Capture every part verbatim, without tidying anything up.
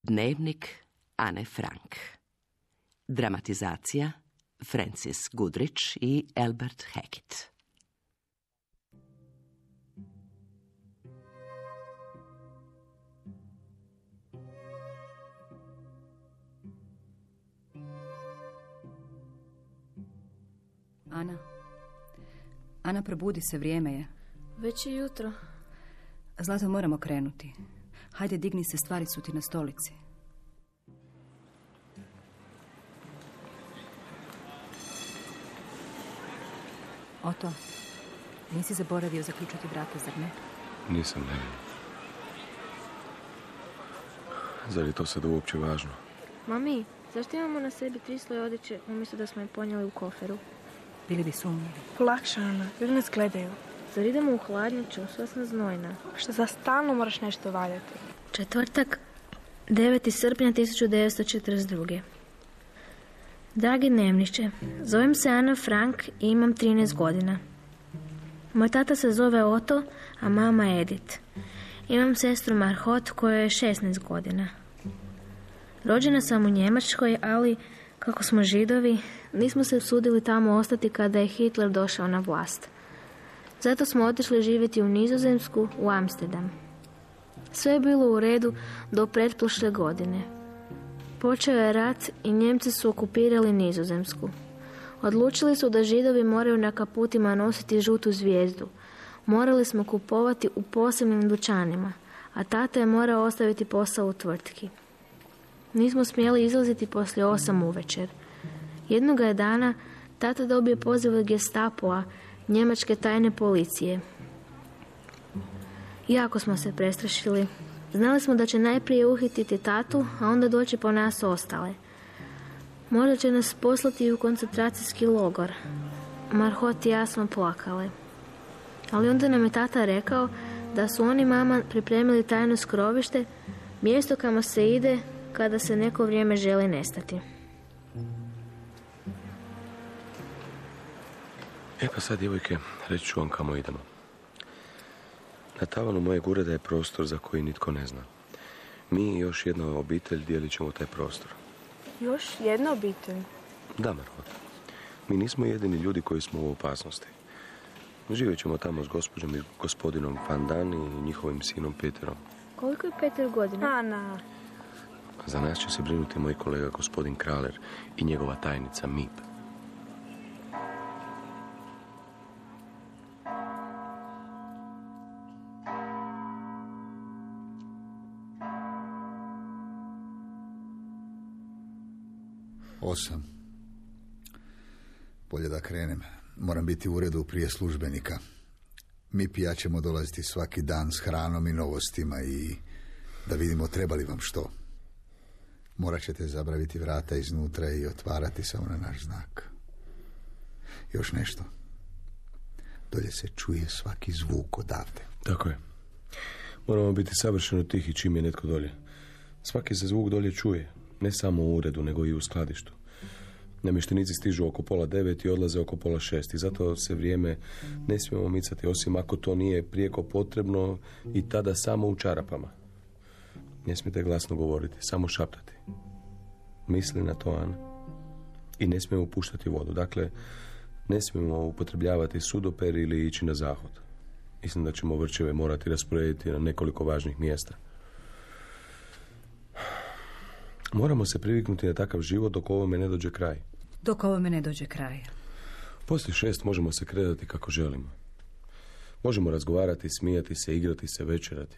Dnevnik Ane Frank. Dramatizacija Francis Goodrich i Albert Hackett. Ana. Ana, probudi se, vrijeme je. Već je jutro. Zlato, moramo krenuti. Hajde, digni se, stvari su ti na stolici. Oto, nisi zaboravio zaključati vrata, zar ne? Nisam, ne. Zar je to sad uopće važno? Mami, zašto imamo na sebi tri sloje odjeće umjesto da smo je ponijeli u koferu? Bili bi sumnjivi. Polakša, Ana, ljudi nas gledaju. Zar idemo u hladnjaču, sva sam znojna. Što za stalno moraš nešto valjati? Četvrtak, deveti srpnja tisuću devetsto četrdeset druge. Dragi dnevniče, zovem se Ana Frank i imam trinaest godina. Moj tata se zove Oto, a mama Edith. Imam sestru Marhot koja je šesnaest godina. Rođena sam u Njemačkoj, ali kako smo Židovi, nismo se usudili tamo ostati kada je Hitler došao na vlast. Zato smo otišli živjeti u Nizozemsku, u Amsterdam. Sve je bilo u redu do pretprošle godine. Počeo je rat i Njemci su okupirali Nizozemsku. Odlučili su da Židovi moraju na kaputima nositi žutu zvijezdu. Morali smo kupovati u posebnim dućanima, a tata je morao ostaviti posao u tvrtki. Nismo smjeli izlaziti poslije osam uvečer. Jednoga je dana tata dobio poziv od Gestapoa, njemačke tajne policije. Jako smo se prestrašili. Znali smo da će najprije uhititi tatu, a onda doći po nas ostale. Možda će nas poslati u koncentracijski logor. Marhot i ja smo plakale. Ali onda nam je tata rekao da su oni mama pripremili tajno skrovište, mjesto kamo se ide kada se neko vrijeme želi nestati. E pa sad, djevojke, reći ću vam kamo idemo. Na tavanu mojeg ureda je prostor za koji nitko ne zna. Mi i još jedna obitelj dijelit ćemo taj prostor. Još jedna obitelj? Da, Marhot. Mi nismo jedini ljudi koji smo u opasnosti. Živjet ćemo tamo s gospođom i gospodinom Van Dan i njihovim sinom Peterom. Koliko je Peter godina? Ana. Za nas će se brinuti moj kolega gospodin Kraler i njegova tajnica Mip. Osam. Bolje da krenem. Moram biti u uredu prije službenika. Mi i ja ćemo dolaziti svaki dan s hranom i novostima i da vidimo treba li vam što. Morat ćete zabraviti vrata iznutra i otvarati samo na naš znak. Još nešto. Dolje se čuje svaki zvuk odavde. Tako je. Moramo biti savršeno tihi čim je netko dolje. Svaki se zvuk dolje čuje. Ne samo u uredu, nego i u skladištu. Namještenici stižu oko pola devet i odlaze oko pola šest i zato se vrijeme ne smijemo micati, osim ako to nije prijeko potrebno i tada samo u čarapama. Ne smijete glasno govoriti, samo šaptati. Misli na to, Ana. I ne smijemo puštati vodu. Dakle, ne smijemo upotrebljavati sudoper ili ići na zahod. Mislim da ćemo vrčeve morati rasporediti na nekoliko važnih mjesta. Moramo se priviknuti na takav život dok ovome ne dođe kraj. Dok ovome ne dođe kraj. Poslije šest možemo se kretati kako želimo. Možemo razgovarati, smijati se, igrati se, večerati.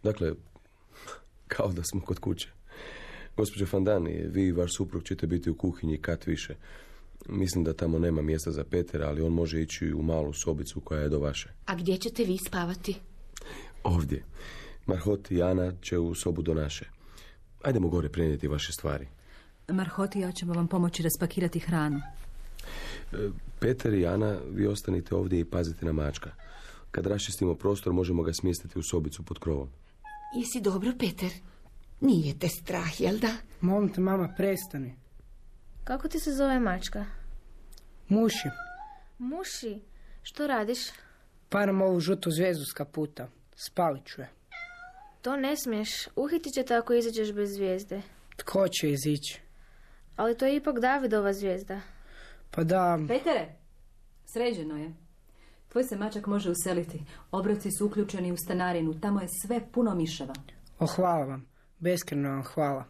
Dakle, kao da smo kod kuće. Gospođo Fandani, vi i vaš suprug ćete biti u kuhinji kat više. Mislim da tamo nema mjesta za Petera, ali on može ići u malu sobicu koja je do vaše. A gdje ćete vi spavati? Ovdje. Marhot i Ana će u sobu do naše. Ajdemo gore prenijeti vaše stvari. Marhot i ja ćemo vam pomoći raspakirati hranu. Peter i Ana, vi ostanite ovdje i pazite na mačka. Kad raščistimo prostor, možemo ga smjestiti u sobicu pod krovom. Jesi dobro, Peter? Nije te strah, jel da? Molim te, mama, prestani. Kako ti se zove mačka? Muši. Muši? Što radiš? Param ovu žutu zvijezdu s kaputa. Spalit ću je. To ne smiješ. Uhitit će te ako izađeš bez zvijezde. Tko će izići? Ali to je ipak Davidova zvijezda. Pa da... Petere, sređeno je. Tvoj se mačak može useliti. Obroci su uključeni u stanarinu. Tamo je sve puno miševa. O, hvala vam. Beskreno vam hvala.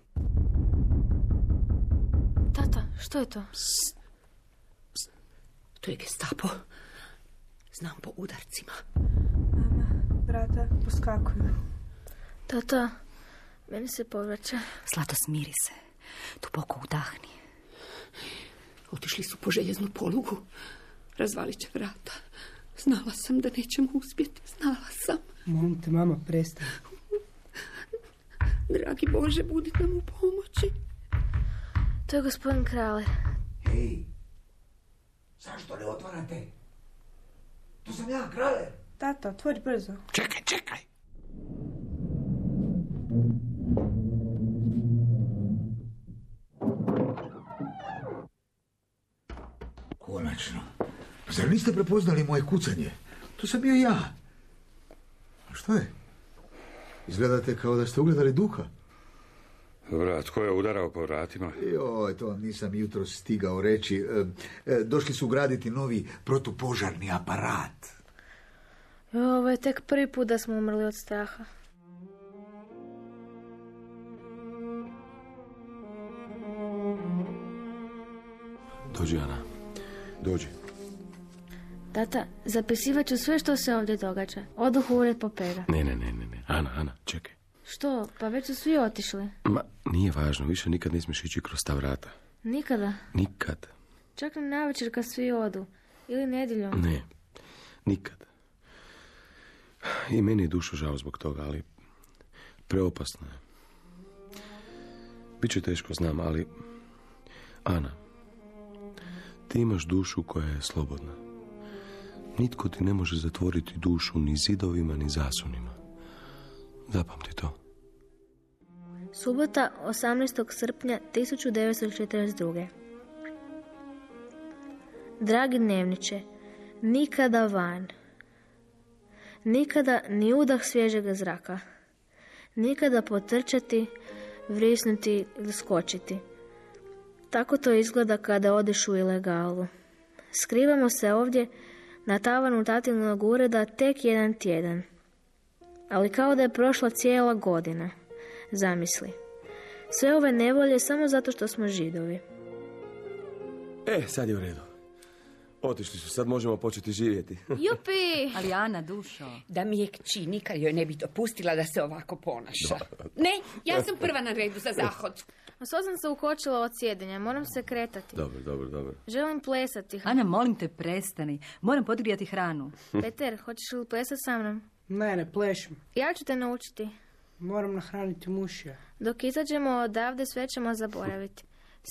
Tata, što je to? Psst. Psst. To je Gestapo. Znam po udarcima. Mama, brata, poskakuju. Tata, meni se povraća. Zlato, smiri se. Duboko udahni. Otišli su po željeznu polugu. Razvalit će vrata. Znala sam da nećemo uspjeti. Znala sam. Molim te, mama, prestani. Dragi Bože, budi nam u pomoći. To je gospodin Kraler. Hej, zašto ne otvarate? To sam ja, Kraler. Tata, otvori brzo. Čekaj, čekaj. Konačno. Zar niste prepoznali moje kucanje? To sam bio ja. A što je? Izgledate kao da ste ugledali duha. Dobra, tko je udarao po vratima? Joj, to vam nisam jutro stigao reći. E, e, došli su graditi novi protupožarni aparat. Ovo je tek prvi put da smo umrli od straha. Dođi, Ana. Dođi. Tata, zapisivat ću sve što se ovdje događa. Oduh u ured Popera. Ne, ne, ne, ne, ne. Ana, Ana, čekaj. Što? Pa već su svi otišli. Ma, nije važno. Više nikad ne smiješ ići kroz ta vrata. Nikada? Nikad. Čak ni navečer kad svi odu. Ili nedjeljom. Ne, nikad. I meni je dušo žao zbog toga, ali preopasno je. Biće teško, znam, ali... Ana, ti imaš dušu koja je slobodna. Nitko ti ne može zatvoriti dušu ni zidovima, ni zasunima. Zapamti to. Subota, osamnaestog srpnja tisuću devetsto četrdeset druge. Dragi dnevniče, nikada van. Nikada ni udah svježega zraka. Nikada potrčati, vrisnuti ili skočiti. Tako to izgleda kada odeš u ilegalu. Skrivamo se ovdje na tavanu tatinog ureda tek jedan tjedan. Ali kao da je prošla cijela godina. Zamisli. Sve ove nevolje samo zato što smo Židovi. E, sad je u redu. Otišli su, sad možemo početi živjeti. Jupi! Ali Ana, dušo. Da mi je kći nikad joj ne bi dopustila da se ovako ponaša. Ne, ja sam prva na redu za zahod. A svo sam se ukočila od sjedenja, moram se kretati. Dobro, dobro, dobro. Želim plesati. Ana, molim te, prestani. Moram podgrijati hranu. Peter, hoćeš li plesati sa mnom? Ne, ne plešim. Ja ću te naučiti. Moram nahraniti mušija. Dok izađemo odavde sve ćemo zaboraviti.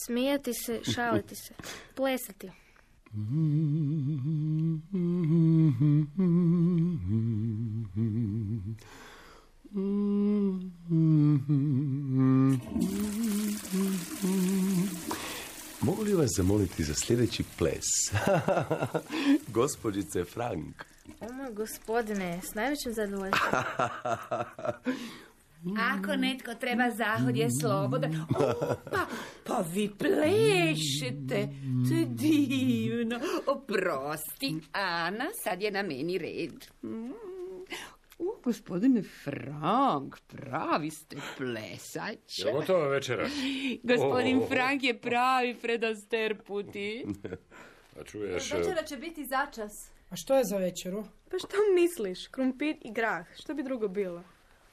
Smijati se, šaliti se, plesati. Mogu li vas zamoliti za sljedeći ples? Gospođice Frank. O moj gospodine, s najvećim zadovoljstvom. Ako netko treba zahod je slobodan. O, pa, pa vi plešete. To je divno. Oprosti, Ana, sad je na meni red. Mm. U, gospodine Frank, pravi ste plesač. Je gotova večera? Gospodin oh. Frank je pravi Fred Astaire puti. A čuješ... Večera će biti začas. A što je za večeru? Pa što misliš? Krumpir i grah. Što bi drugo bilo?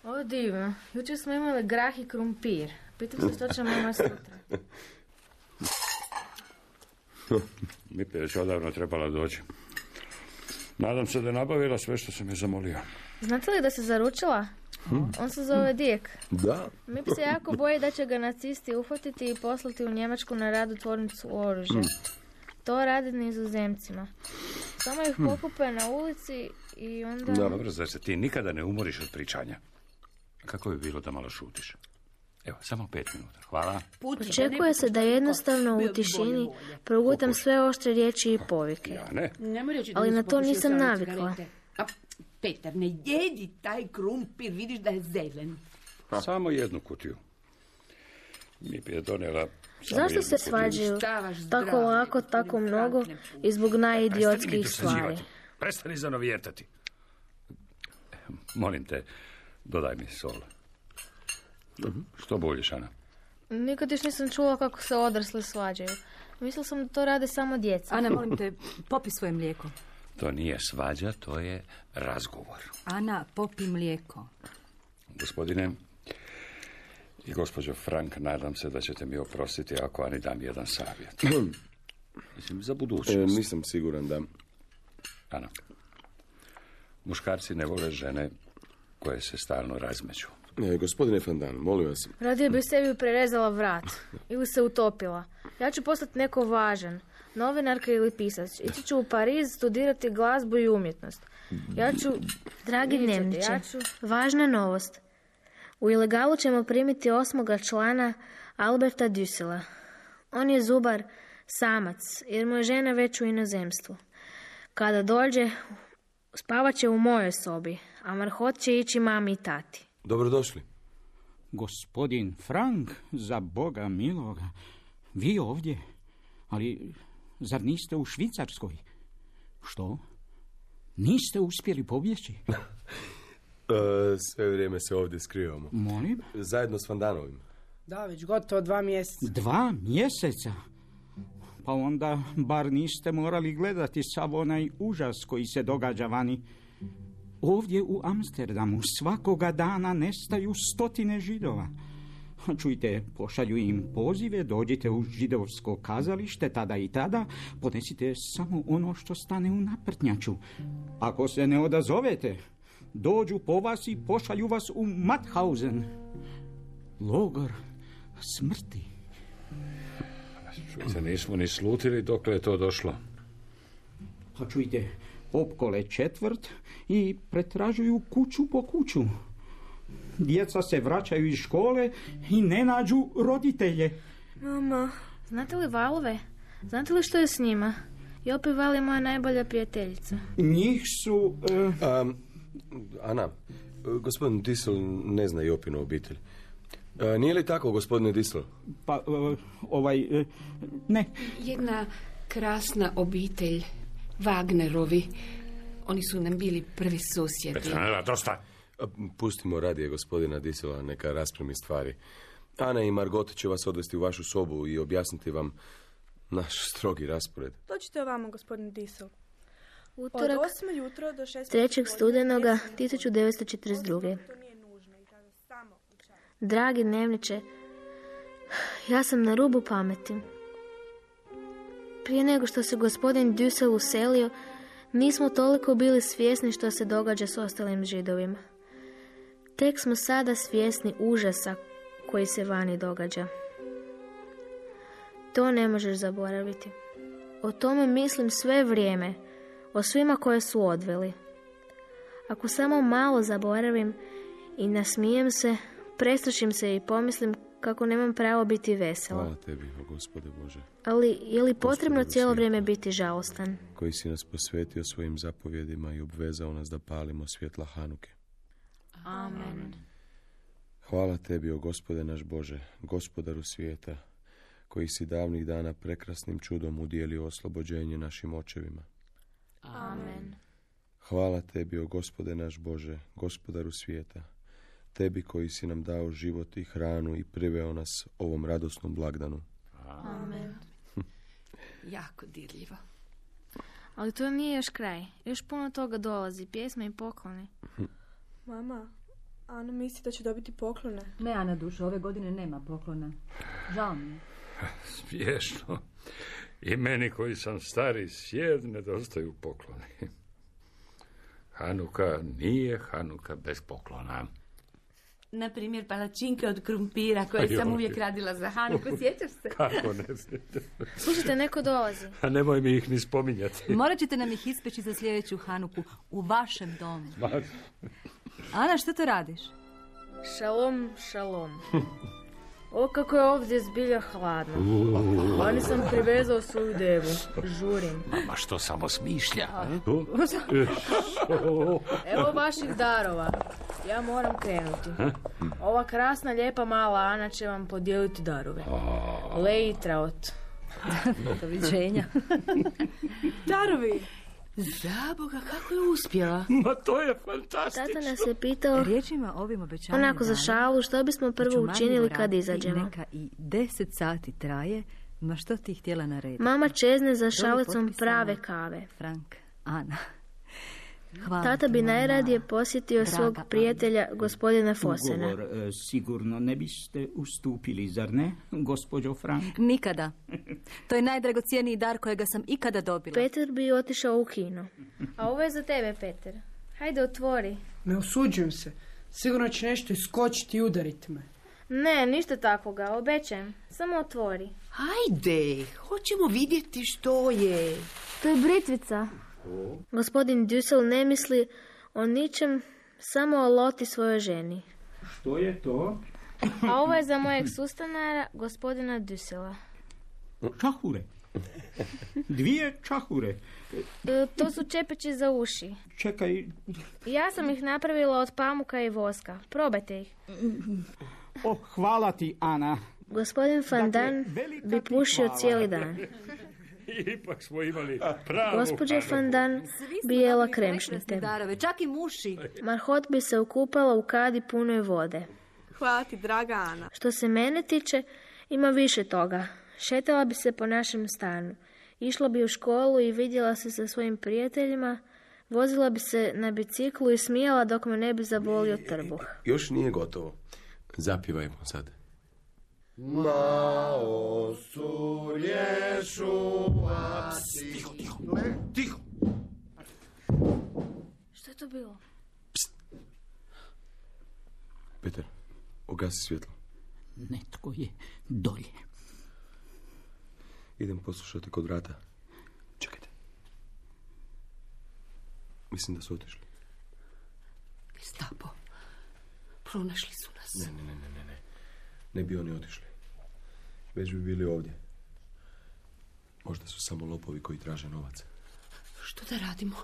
O, divno. Jučer smo imali grah i krumpir. Pitam se što ćemo imati sutra. Mi je već odavno trebala doći. Nadam se da je nabavila sve što sam je zamolio. Znate li da se zaručila? Hmm. On se zove Dijek. Da. Mi se jako boji da će ga nacisti uhvatiti i poslati u Njemačku na rad u tvornicu oružja. Hmm. To radi Nizozemcima. Samo ih hmm. pokupe na ulici i onda... Da, dobro, zar se ti nikada ne umoriš od pričanja? Kako bi bilo da malo šutiš? Evo, samo pet minuta. Hvala. Očekuje se da jednostavno u tišini progutam sve oštre riječi i povike. Ja ne. Ali na to nisam navikla. Petar, ne jedi taj krumpir, vidiš da je zelen. Samo jednu kutiju. Mi bi je donijela samo Zašto jednu se kutiju. svađaju Stavaš tako zdravlje, lako, gospodin tako Frank mnogo ne pušta. i zbog Prestani mi najidiotskih stvari? dosađivati. Prestani zanovijetati. Molim te, dodaj mi sol. Što boljiš, Ana? Nikad još nisam čula kako se odrasli svađaju. Mislila sam da to rade samo djeca. Ana, molim te, popi svoje mlijeko. To nije svađa, to je razgovor. Ana, popi mlijeko. Gospodine i gospođo Frank, nadam se da ćete mi oprostiti ako Ani dam jedan savjet. Mislim, za E, budućnost. nisam siguran da... Ana, muškarci ne vole žene koje se stalno razmeću. E, gospodine Fandan, molim vas. Radije bi sebi prerezala vrat ili se utopila. Ja ću postati neko važan, novinarka ili pisac. Ići ću u Pariz studirati glazbu i umjetnost. Ja ću, dragi Vidjet ćete, dnevniče, ja ću. važna novost. U ilegalu ćemo primiti osmoga člana Alberta Dusela. On je zubar, samac, jer mu je žena već u inozemstvu. Kada dođe, spavat će u mojoj sobi, a Marhot će ići mami i tati. Dobrodošli. Gospodin Frank, za Boga miloga, vi ovdje, ali zar niste u Švicarskoj? Što? Niste uspjeli pobjeći? E, sve vrijeme se ovdje skrivamo. Molim? Zajedno s Fandanovim. Da, već gotovo dva mjeseca. Dva mjeseca? Pa onda bar niste morali gledati sav onaj užas koji se događa vani. Ovdje u Amsterdamu svakoga dana nestaju stotine Židova. Čujte, pošalju im pozive, dođite u židovsko kazalište tada i tada, ponesite samo ono što stane u naprtnjaču. Ako se ne odazovete, dođu po vas i pošalju vas u Mauthausen. Logor smrti. Čujte, nismo ni slutili dokle je to došlo. Pa čujte, opkole četvrt i pretražuju kuću po kuću. Djeca se vraćaju iz škole i ne nađu roditelje. Mama, znate li Valove? Znate li što je s njima? Jopi Val je moja najbolja prijateljica. Njih su... Uh... Um, Ana, gospodin Disel ne zna Jopinu obitelj. E, nije li tako, gospodine Disel? Pa, uh, ovaj... Uh, ne. Jedna krasna obitelj, Wagnerovi. Oni su nam bili prvi susjedi. Petronela, dosta. Pustimo radije gospodina Disela, neka raspremi stvari. Ana i Margot će vas odvesti u vašu sobu i objasniti vam naš strogi raspored. Dođite ovamo, gospodin Diesel. Utorak, Od osme jutro do šest trećeg studenoga tisuću devetsto četrdeset druge. Dragi dnevniče, ja sam na rubu pameti. Prije nego što se gospodin Dusel uselio, nismo toliko bili svjesni što se događa s ostalim Židovima. Tek smo sada svjesni užasa koji se vani događa. To ne možeš zaboraviti. O tome mislim sve vrijeme, o svima koje su odveli. Ako samo malo zaboravim i nasmijem se, prestrašim se i pomislim kako nemam pravo biti vesela. Hvala tebi, o Gospode Bože. Ali je li potrebno Gospode cijelo svijeta, vrijeme biti žalostan? koji si nas posvetio svojim zapovjedima i obvezao nas da palimo svjetla Hanuke. Amen. Hvala tebi, o Gospode naš Bože, Gospodaru svijeta, koji si davnih dana prekrasnim čudom udijelio oslobođenje našim očevima. Amen. Hvala tebi, o Gospode naš Bože, Gospodaru svijeta, tebi koji si nam dao život i hranu i priveo nas ovom radosnom blagdanu. Amen. Jako dirljivo. Ali to nije još kraj. Još puno toga dolazi, pjesme i poklone. Mama, Ana misli da će dobiti poklone. Ne, Ana dušo, ove godine nema poklona. Žao mi je. Smiješno. I meni koji sam stari sjed nedostaju pokloni. Hanuka nije Hanuka bez poklona. Na primjer, palačinke od krumpira koje Aj, sam ovdje. uvijek radila za Hanuku. Sjećaš se? Kako ne sjećam? Slušajte, neko dolazi. A nemoj mi ih ni spominjati. Morat ćete nam ih ispeći za sljedeću Hanuku u vašem domu. Ana, što to radiš? Šalom, šalom. O, kako je ovdje zbilja hladno. Vani sam privezao svoju devu. Žurim. Mama što samo smišlja. Evo vaših darova. Ja moram krenuti. Ova krasna, lijepa mala Ana će vam podijeliti darove. Leitraot. Doviđenja. Darovi! Zaboga, kako je uspjela? Ma to je fantastično. Tata nas je pitao, Riječima ovim obećanjem onako za šalu, što bismo prvo učinili kad izađemo. Neka i deset sati traje, ma što ti htjela narediti? Mama čezne za šalicom prave kave. Frank, Ana. Hvala Tata bi najradije posjetio svog prijatelja, gospodina Fosena. Ugovor e, sigurno ne biste ustupili, zar ne, gospođo Frank? Nikada. To je najdragocijeniji dar kojega sam ikada dobila. Peter bi otišao u kino. A ovo je za tebe, Peter. Hajde, otvori. Ne osuđujem se. Sigurno će nešto iskočiti i udariti me. Ne, ništa takvoga, obećajem. Samo otvori. Hajde, hoćemo vidjeti što je. To je britvica. Gospodin Dussel ne misli o ničem, samo o Loti svojoj ženi. Što je to? A ovo je za mojeg sustanara, gospodina Dussela. Čahure. Dvije čahure. E, to su čepići za uši. Čekaj. Ja sam ih napravila od pamuka i voska. Probajte ih. O, hvala ti, Ana. Gospodin Van Dan bi pušio cijeli dan. Ipak smo imali pravu. Gospođa Van Dan bi jela kremšnite. Darove, čak i muši. Marhot bi se ukupala u kadi punoj vode. Hvala ti, draga Ana. Što se mene tiče, ima više toga. Šetala bi se po našem stanu. Išla bi u školu i vidjela se sa svojim prijateljima. Vozila bi se na biciklu i smijala dok me ne bi zabolio trbuh. Još nije gotovo. Zapivajmo sad. Mao su rješuvati. Tiho, tiho, tiho. Što je to bilo? Pst. Peter, ugasi svjetlo. Netko je dolje. Idem poslušati kod vrata. Čekajte. Mislim da su otišli. Gestapo. Pronašli su nas. Ne, ne, ne, ne, ne. Ne bi oni otišli. Već bi bili ovdje. Možda su samo lopovi koji traže novac. Što da radimo?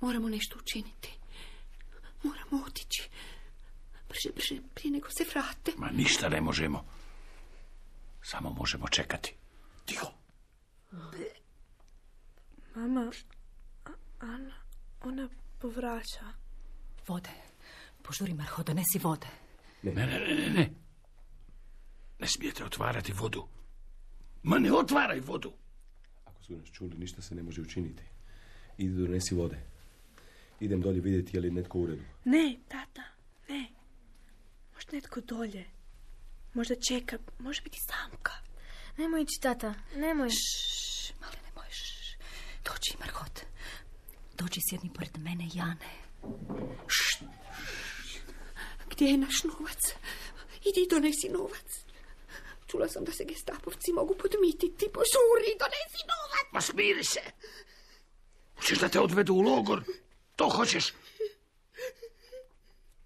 Moramo nešto učiniti. Moramo otići. Brže, brže, prije nego se vrate. Ma ništa ne možemo. Samo možemo čekati. Tiho. Mama, A- Ana, ona povraća. Vode. Požuri, Marho, donesi vode. Ne, ne, ne, ne, ne. Ne smijete otvarati vodu. Ma ne otvaraj vodu. Ako su nas čuli, ništa se ne može učiniti. Idi donesi vode. Idem dolje vidjeti je li netko u redu. Ne, tata, ne. Možda netko dolje. Možda čeka, može biti samka. Nemoj ići, tata, nemoj. Šš, mali, nemoj, šš. Dođi, Marhot. Dođi, sjedni pored mene, Jane. Št. Gdje je naš novac? Idi i donesi novac. Čula sam da se gestapovci mogu podmititi. Požuri, donesi novac. Ma smiri se. Hoćeš da te odvedu u logor? To hoćeš?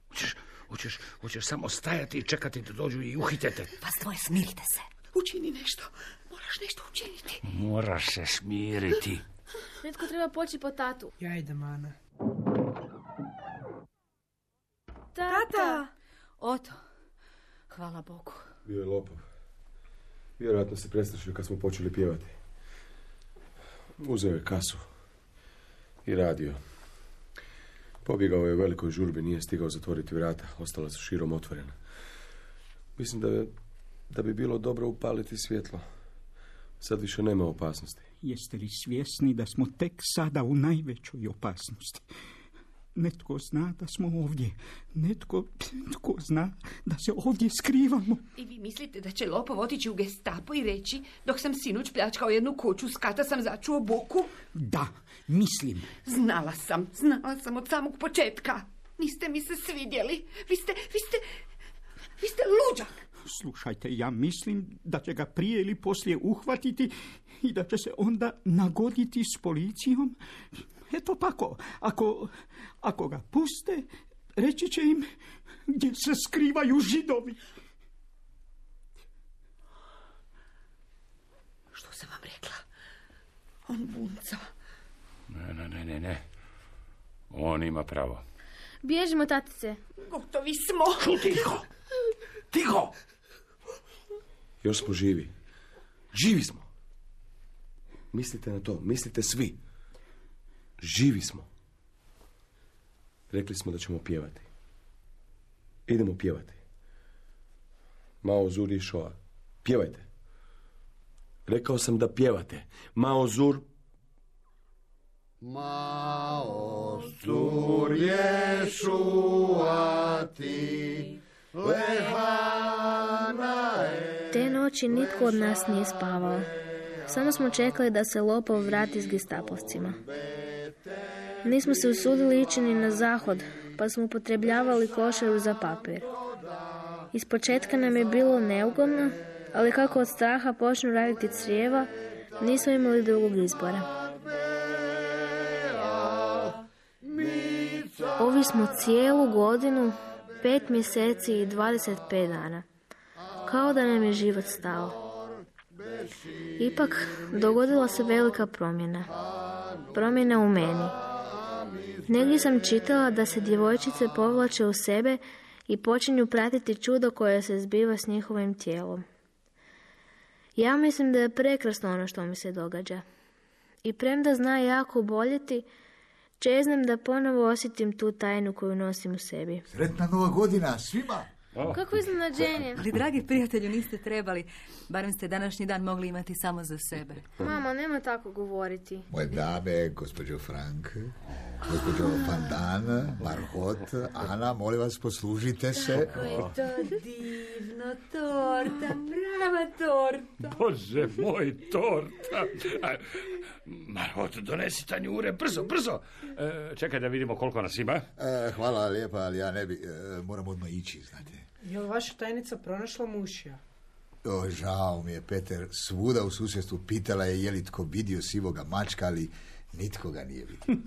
Hoćeš, hoćeš, hoćeš samo stajati i čekati da dođu i uhitete? Vas dvoje, smirite se. Učini nešto. Moraš nešto učiniti. Moraš se smiriti. Netko treba poći po tatu. Ja idem, Ana. Tata! Oto. Hvala Bogu. Bio je lopov. Vjerojatno se prestrašio kad smo počeli pjevati. Uzeo je kasu i radio. Pobjegao je u velikoj žurbi, nije stigao zatvoriti vrata. Ostala su širom otvorena. Mislim da, da bi bilo dobro upaliti svjetlo. Sad više nema opasnosti. Jeste li svjesni da smo tek sada u najvećoj opasnosti? Netko zna da smo ovdje. Netko, netko zna da se ovdje skrivamo. I vi mislite da će lopov otići u gestapo i reći, dok sam sinoć pljačkao jednu kuću, s kata sam začuo buku? Da, mislim. Znala sam, znala sam od samog početka. Niste mi se svidjeli. Vi ste, vi ste, vi ste luđak. Slušajte, ja mislim da će ga prije ili poslije uhvatiti i da će se onda nagoditi s policijom. Eto tako, ako, ako ga puste, reći će im gdje se skrivaju Židovi. On bunca. Ne, ne, ne, ne, ne. On ima pravo. Bježimo, tatice. Gotovi smo. Tiho! Tiho! Još smo živi. Živi smo. Mislite na to, mislite svi. Živi smo. Rekli smo da ćemo pjevati. Idemo pjevati. Mao Zur i Shoa. Pjevajte. Rekao sam da pjevate. Mao Zur. Mao Zur je šuati, lehana je. Te noći nitko od nas nije spavao. Samo smo čekali da se lopov vrati s gestapovcima. Nismo se usudili ići ni na zahod, pa smo upotrebljavali košaru za papir. Ispočetka nam je bilo neugodno, ali kako od straha počnu raditi crijeva, nismo imali drugog izbora. Ovi smo cijelu godinu, pet mjeseci i dvadeset pet dana. Kao da nam je život stao. Ipak, dogodila se velika promjena. Promjena u meni. Negdje sam čitala da se djevojčice povlače u sebe i počinju pratiti čudo koje se zbiva s njihovim tijelom. Ja mislim da je prekrasno ono što mi se događa. I premda zna jako boljeti, čeznem da ponovo osjetim tu tajnu koju nosim u sebi. Sretna nova godina svima! Oh. Kako iznenađenje. Ali, dragi prijatelju, niste trebali. Barem ste današnji dan mogli imati samo za sebe. Mama, nema tako govoriti. Moje dame, gospođo Frank, gospođo Pandana, Marhot, Ana, molim vas, poslužite se. Kako je to divno, torta, prava torta. Bože moj, torta. Marhot, donesi tanjure, brzo, brzo. E, čekaj da vidimo koliko nas ima. E, hvala lijepa, ali ja ne bi, e, moram odmah ići, znate. Je li vaša tajnica pronašla mušija? O, žao mi je, Peter, svuda u susjedstvu pitala je je li tko vidio sivoga mačka, ali nitko ga nije vidio.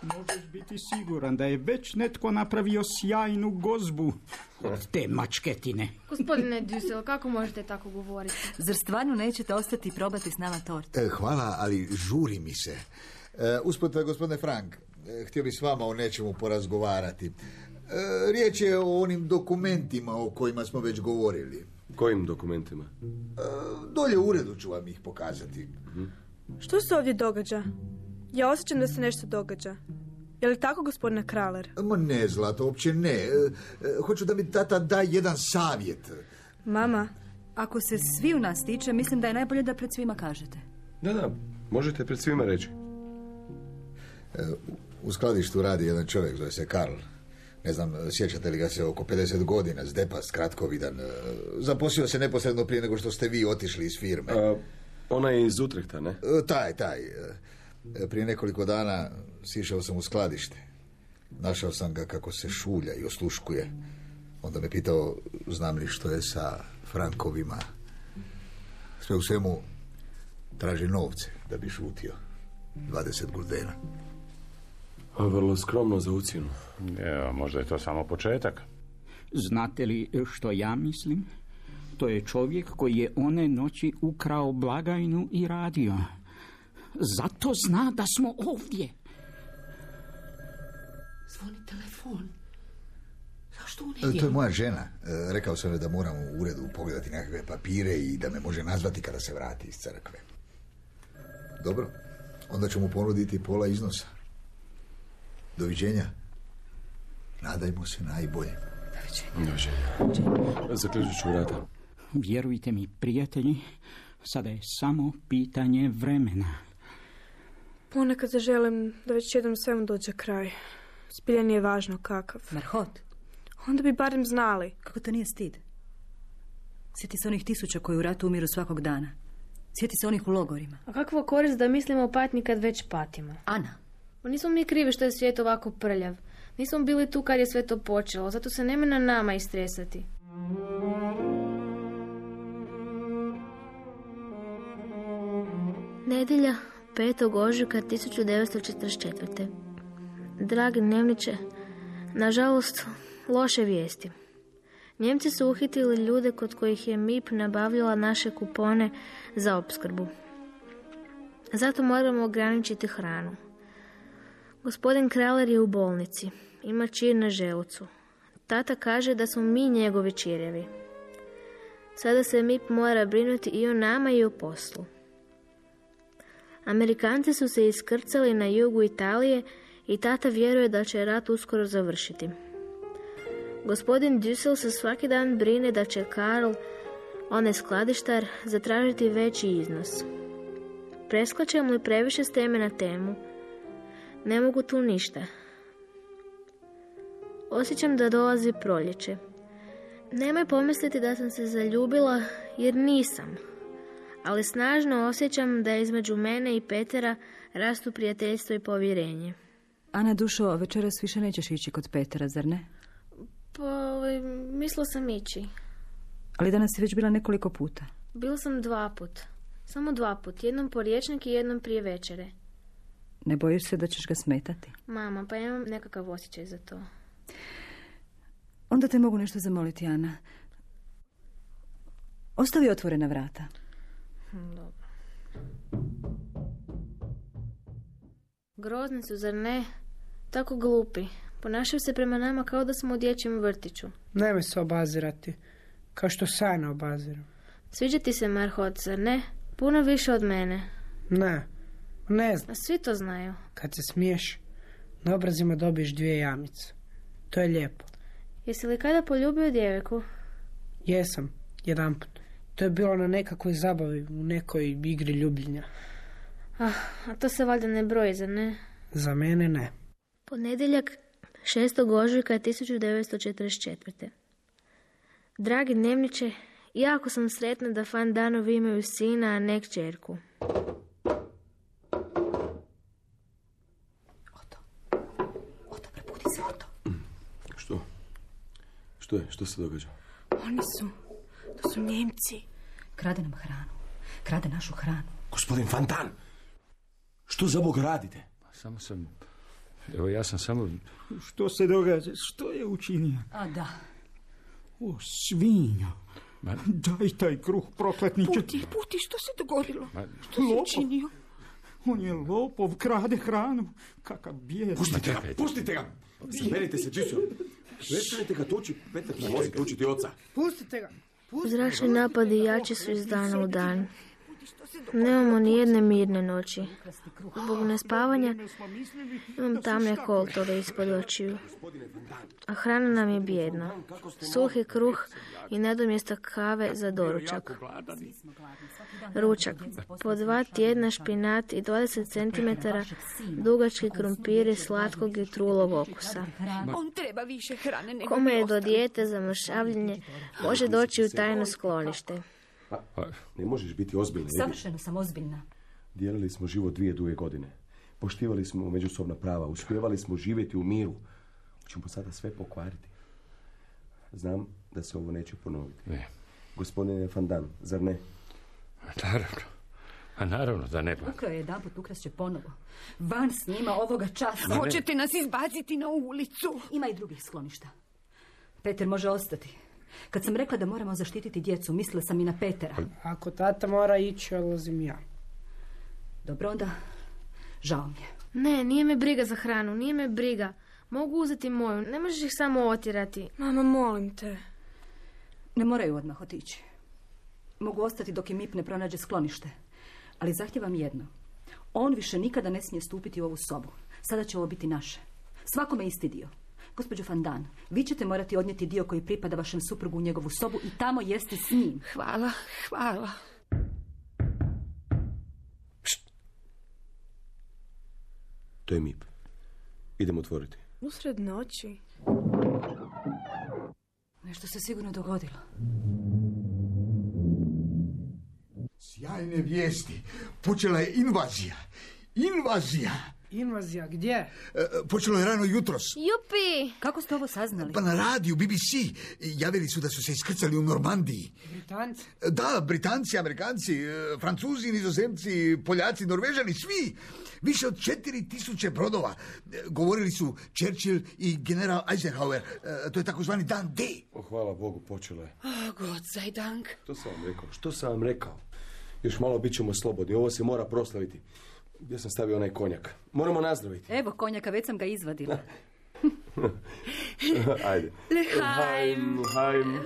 Možeš biti siguran da je već netko napravio sjajnu gozbu od te mačketine. Gospodine Dussel, kako možete tako govoriti? Zar stvarno nećete ostati i probati s nama tortu? E, hvala, ali žuri mi se. E, usput, gospodine Frank, e, htio bi s vama o nečemu porazgovarati. E, riječ je o onim dokumentima o kojima smo već govorili. Kojim dokumentima? E, dolje u uredu ću vam ih pokazati. Hm? Što se ovdje događa? Ja osjećam da se nešto događa. Je li tako, gospodine Kraler? Ma ne, Zlato, uopće ne. E, e, hoću da mi tata da jedan savjet. Mama? Ako se svi u nas tiče, mislim da je najbolje da pred svima kažete. Da, da, možete pred svima reći. E, u skladištu radi jedan čovjek, zove se Karl. Ne znam, sjećate li ga se, oko pedeset godina, zdepast, kratkovidan. E, zaposlio se neposredno prije nego što ste vi otišli iz firme. A, ona je iz Utrehta, ne? E, taj, taj. E, prije nekoliko dana sišao sam u skladište. Našao sam ga kako se šulja i osluškuje. Onda me pitao, znam li što je sa frankovima. Sve u svemu traži novce da bi šutio. dvadeset guldena. A vrlo skromno za ucjenu. Evo, možda je to samo početak. Znate li što ja mislim? To je čovjek koji je one noći ukrao blagajnu i radio. Zato zna da smo ovdje. Zvoni telefon. Zašto u nedjelju? To je moja žena. E, rekao sam joj da moram u uredu pogledati nekakve papire i da me može nazvati kada se vrati iz crkve. Dobro, onda ću mu ponuditi pola iznosa. Doviđenja. Nadajmo se najbolje. Doviđenja. Zaključit ću vrata. Vjerujte mi, prijatelji, sada je samo pitanje vremena. Ponekad želim da već jednom svemu dođe kraj. Zbilja nije važno kakav. Marhot. Onda bi barem znali. Kako to nije stid? Sjeti se onih tisuća koji u ratu umiru svakog dana. Sjeti se onih u logorima. A kakva korist da mislimo o patnji kad već patimo? Ana. Pa nismo mi krivi što je svijet ovako prljav. Nismo bili tu kad je sve to počelo. Zato se nema na nama istresati. Nedjelja, petog ožujka tisuću devetsto četrdeset četvrte. Dragi dnevniče, nažalost, loše vijesti. Njemci su uhitili ljude kod kojih je M I P nabavljala naše kupone za opskrbu. Zato moramo ograničiti hranu. Gospodin Kraler je u bolnici. Ima čir na želucu. Tata kaže da smo mi njegovi čirevi. Sada se M I P mora brinuti i o nama i o poslu. Amerikanci su se iskrcali na jugu Italije i tata vjeruje da će rat uskoro završiti. Gospodin Dussel se svaki dan brine da će Karl, onaj skladištar, zatražiti veći iznos. Preskačem li previše s teme na temu? Ne mogu tu ništa. Osjećam da dolazi proljeće. Nemoj pomisliti da sam se zaljubila, jer nisam. Ali snažno osjećam da između mene i Petera rastu prijateljstvo i povjerenje. Ana, dušo, večeras više nećeš ići kod Petera, zar ne? Pa, mislila sam ići. Ali danas si već bila nekoliko puta. Bila sam dva put. Samo dva put. Jednom po riječnik i jednom prije večere. Ne bojiš se da ćeš ga smetati? Mama, pa imam nekakav osjećaj za to. Onda te mogu nešto zamoliti, Ana. Ostavi otvorena vrata. Dobro. Grozni su, zar ne? Tako glupi. Ponašaju se prema nama kao da smo u dječjem vrtiću. Nemoj se obazirati. Kao što se ja ne obaziram. Sviđa ti se Marhot, zar ne? Puno više od mene. Ne, ne znam. A svi to znaju. Kad se smiješ, na obrazima dobiješ dvije jamice. To je lijepo. Jesi li kada poljubio djevojku? Jesam, jedanput. To je bilo na nekakvoj zabavi, u nekoj igri ljubljenja. Ah, a to se valjda ne broji, zar ne? Za mene ne. Ponedjeljak šestog ožujka tisuću devetsto četrdeset četvrte. Dragi dnevniče, jako sam sretna da Van Danovi imaju sina, a ne kćerku. Oto. Oto, prebudi se, Oto. Što? Što je? Što se događa? Oni su, to su Njemci. Krade nam hranu. Krade našu hranu. Gospodin Van Dan, što za Bog radite? Samo sam... Evo, ja sam samo... Što se događa? Što je učinio? A da. O, svinja. Ma... Daj taj kruh, prokletniče. Puti, puti, što se dogodilo? Ma... Što si Lopov. učinio? On je lopov, krade hranu. Kakav bijedni. Pustite ga, pustite ga. Zaberite se, Čičo. Prestanite ga tući, Petar ne može tučiti oca. Pustite ga. Zračni napadi jači su iz dana u dan. Nemamo ni jedne mirne noći. Zbog nespavanja imam tamne koltove ispod očiju. A hrana nam je bijedna. Suhi kruh i nadomjesto kave za doručak. Ručak. Po dva tjedna špinat i dvadeset centimetara dugački krumpiri slatkog i trulog okusa. On treba više hrane nego Kome je mi do ostali. dijete za mršavljenje, može doći u tajno sklonište. Pa, pa, ne možeš biti ozbiljna. Edi. Savršeno sam ozbiljna. Dijelili smo život dvije duge godine. Poštivali smo međusobna prava. Uspjevali smo živjeti u miru. Hoćemo sada sve pokvariti. Znam da se ovo neće ponoviti. Ne. Gospodine Van Dan, zar ne? Naravno. A naravno da ne. Ukrao je jedan put, ukrast će ponovo. Van s njima ovoga časa. Hoćete nas izbaciti na ulicu. Ima i drugih skloništa. Peter može ostati. Kad sam rekla da moramo zaštititi djecu, mislila sam i na Petera. Ako tata mora ići, odlazim ja. Dobro, onda žao mi je. Ne, nije me briga za hranu, nije me briga. Mogu uzeti moju, ne možeš ih samo otjerati. Mama, molim te. Ne moraju odmah otići. Mogu ostati dok im M I P ne pronađe sklonište. Ali zahtijevam jedno. On više nikada ne smije stupiti u ovu sobu. Sada će ovo biti naše. Svakome isti dio. Gospođo Van Dan, vi ćete morati odnijeti dio koji pripada vašem suprugu u njegovu sobu i tamo jesti s njim. Hvala, hvala. Pšt. To je M I P. Idemo otvoriti. Usred noći. Nešto se sigurno dogodilo. Sjajne vijesti. Počela je invazija. Invazija. Invazija, gdje? E, počelo je rano jutros. Jupi! Kako ste ovo saznali? Pa na radiju, B B C. Javili su da su se iskrcali u Normandiji. Britanci? Da, Britanci, Amerikanci, e, Francuzi, Nizozemci, Poljaci, Norvežani, svi. Više od četiri tisuće brodova. E, govorili su Churchill i general Eisenhower. E, to je takozvani dan D. O, hvala Bogu, počelo je. Oh, Gott sei Dank. Što sam vam rekao? Što sam vam rekao? Još malo bit ćemo slobodni. Ovo se mora proslaviti. Gdje sam stavio onaj konjak? Moramo nazdraviti. Evo konjaka, već sam ga izvadila. Ajde. L'Heim. L'Heim.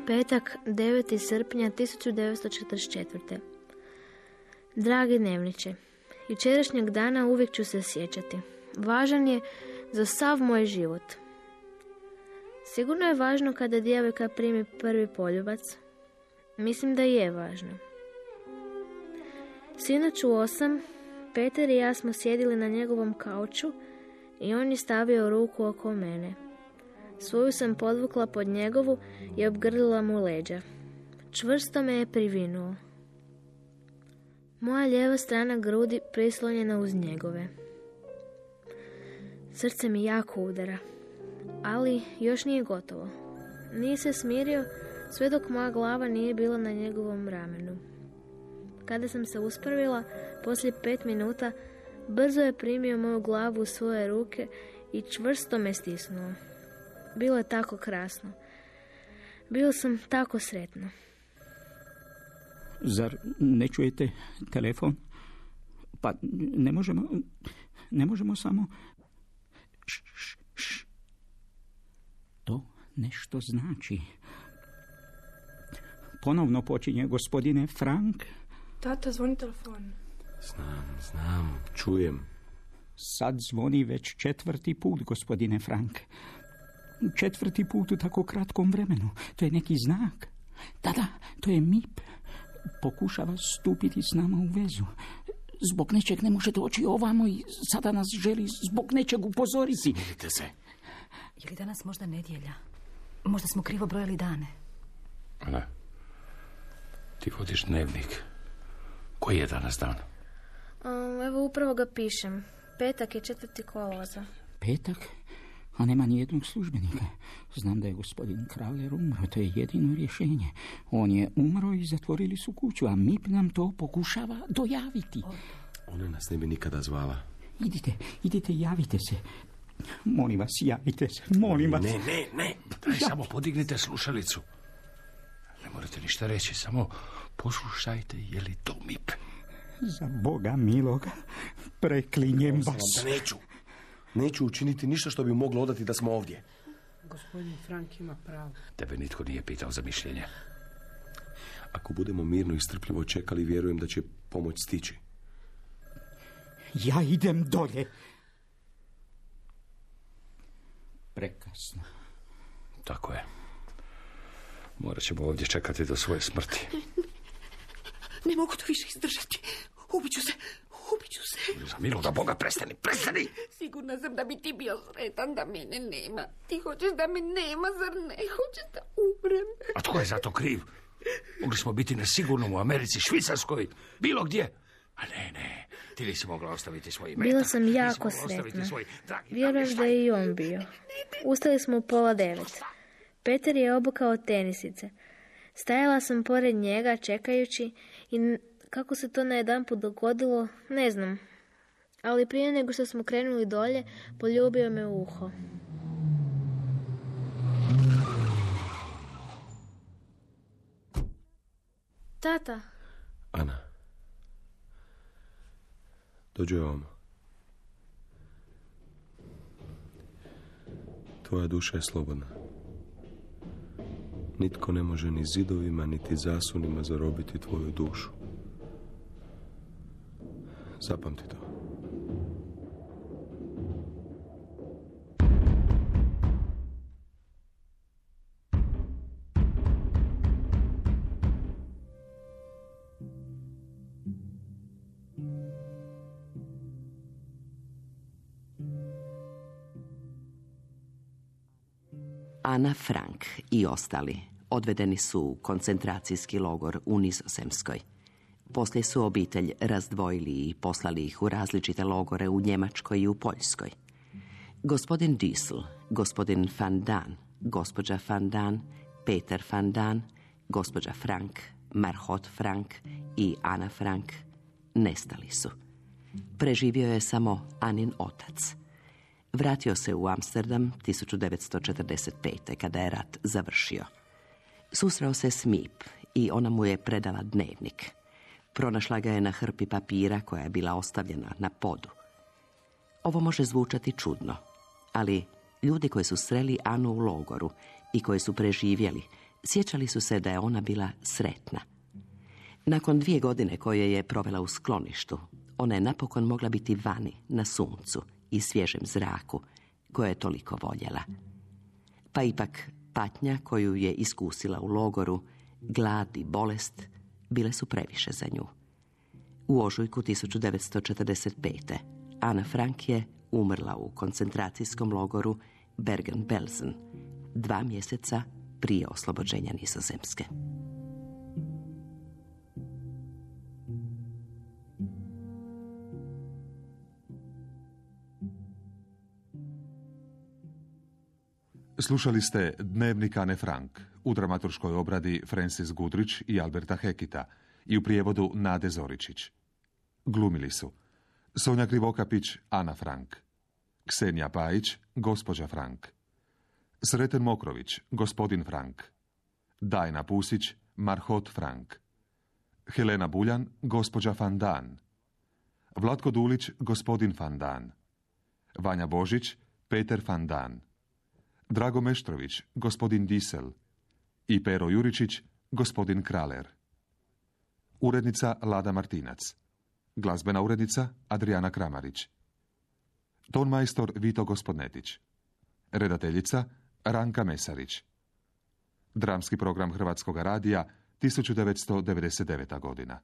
Petak, deveti srpnja tisuću devetsto četrdeset četvrte. Dragi dnevniče, jučerašnjeg dana uvijek ću se sjećati. Važan je za sav moj život. Sigurno je važno kada djevojka primi prvi poljubac. Mislim da je važno. Sinoć u osam, Peter i ja smo sjedili na njegovom kauču i on je stavio ruku oko mene. Svoju sam podvukla pod njegovu i obgrlila mu leđa. Čvrsto me je privinuo. Moja lijeva strana grudi prislonjena uz njegove. Srce mi jako udara, ali još nije gotovo. Nije se smirio sve dok moja glava nije bila na njegovom ramenu. Kada sam se uspravila, poslije pet minuta, brzo je primio moju glavu u svoje ruke i čvrsto me stisnuo. Bilo je tako krasno. Bio sam tako sretna. Zar ne čujete telefon? Pa ne možemo, ne možemo samo... Š, š, š. To nešto znači. Ponovno počinje gospodine Frank. Tata, zvoni telefon. Znam, znam, čujem. Sad zvoni već četvrti put, gospodine Frank. Četvrti put u tako kratkom vremenu. To je neki znak. Da, da, to je M I P. Pokušava stupiti s nama u vezu. Zbog nečeg ne može doći ovamo i sada nas želi zbog nečeg upozoriti. Smirite se. Je li danas možda nedjelja? Možda smo krivo brojali dane. Ana, ti vodiš dnevnik. Koji je danas dan? Um, evo upravo ga pišem. Petak je četvrti kolovoza. Petak? A nema nijednog službenika. Znam da je gospodin Kraler umro, to je jedino rješenje. On je umro i zatvorili su kuću, a M I P nam to pokušava dojaviti. Ona nas ne bi nikada zvala. Idite, idite, javite se. Molim vas, javite se, molim vas. Ne, ne, ne, daj, samo podignite slušalicu. Ne morate ništa reći, samo poslušajte, je li to M I P? Za Boga miloga, preklinjem vas. Da neću. Neću učiniti ništa što bi moglo odati da smo ovdje. Gospodin Frank ima pravo. Tebe nitko nije pitao za mišljenje. Ako budemo mirno i strpljivo čekali, vjerujem da će pomoć stići. Ja idem dolje. Prekasno. Tako je. Morat ćemo ovdje čekati do svoje smrti. Ne mogu to više izdržati. Ubiću se, ubiću se. Za miloga Boga, prestani, prestani! Sigurna sam da bi ti bio sretan da mene nema. Ti hoćeš da me nema, zar ne? Hoćeš da umrem? A tko je za to kriv? Mogli smo biti na sigurnom u Americi, Švicarskoj, bilo gdje. A ne, ne, ti nisi mogla ostaviti svoj metak. Bila sam jako sretna. Svoj... Vjerujem da je i on bio. Ustali smo u pola devet. Peter je obukao tenisice. Stajala sam pored njega čekajući i kako se to najedanput dogodilo, ne znam. Ali prije nego što smo krenuli dolje, poljubio me u uho. Tata. Ana. Dođi ovamo. Tvoja duša je slobodna. Nitko ne može ni zidovima, niti zasunima zarobiti tvoju dušu. Zapamti to. Ana Frank i ostali odvedeni su u koncentracijski logor u Nizozemskoj. Poslije su obitelj razdvojili i poslali ih u različite logore u Njemačkoj i u Poljskoj. Gospodin Diesel, gospodin Van Dan, gospođa Van Dan, Peter Van Dan, gospođa Frank, Margot Frank i Ana Frank nestali su. Preživio je samo Anin otac. Vratio se u Amsterdam tisuću devetsto četrdeset pete. kada je rat završio. Susreo se s Mip i ona mu je predala dnevnik. Pronašla ga je na hrpi papira koja je bila ostavljena na podu. Ovo može zvučati čudno, ali ljudi koji su sreli Anu u logoru i koji su preživjeli, sjećali su se da je ona bila sretna. Nakon dvije godine koje je provela u skloništu, ona je napokon mogla biti vani, na suncu i svježem zraku, koje je toliko voljela. Pa ipak patnja koju je iskusila u logoru, glad i bolest, bile su previše za nju. U ožujku tisuću devetsto četrdeset pete. Ana Frank je umrla u koncentracijskom logoru Bergen-Belsen, dva mjeseca prije oslobođenja Nizozemske. Slušali ste Dnevnik Ane Frank u dramaturškoj obradi Francis Goodrich i Alberta Hekita i u prijevodu Nade Zoričić. Glumili su Sonja Krivokapić, Ana Frank; Ksenija Pajić, gospođa Frank; Sreten Mokrović, gospodin Frank; Dajna Pusić, Marhot Frank; Helena Buljan, gospođa Van Dan; Vlatko Dulić, gospodin Van Dan; Vanja Božić, Peter Van Dan; Drago Meštrović, gospodin Disel i Pero Juričić, gospodin Kraler. Urednica Lada Martinac. Glazbena urednica Adriana Kramarić. Tonmajstor Vito Gospodnetić. Redateljica Ranka Mesarić. Dramski program Hrvatskog radija tisuću devetsto devedeset deveta. godina.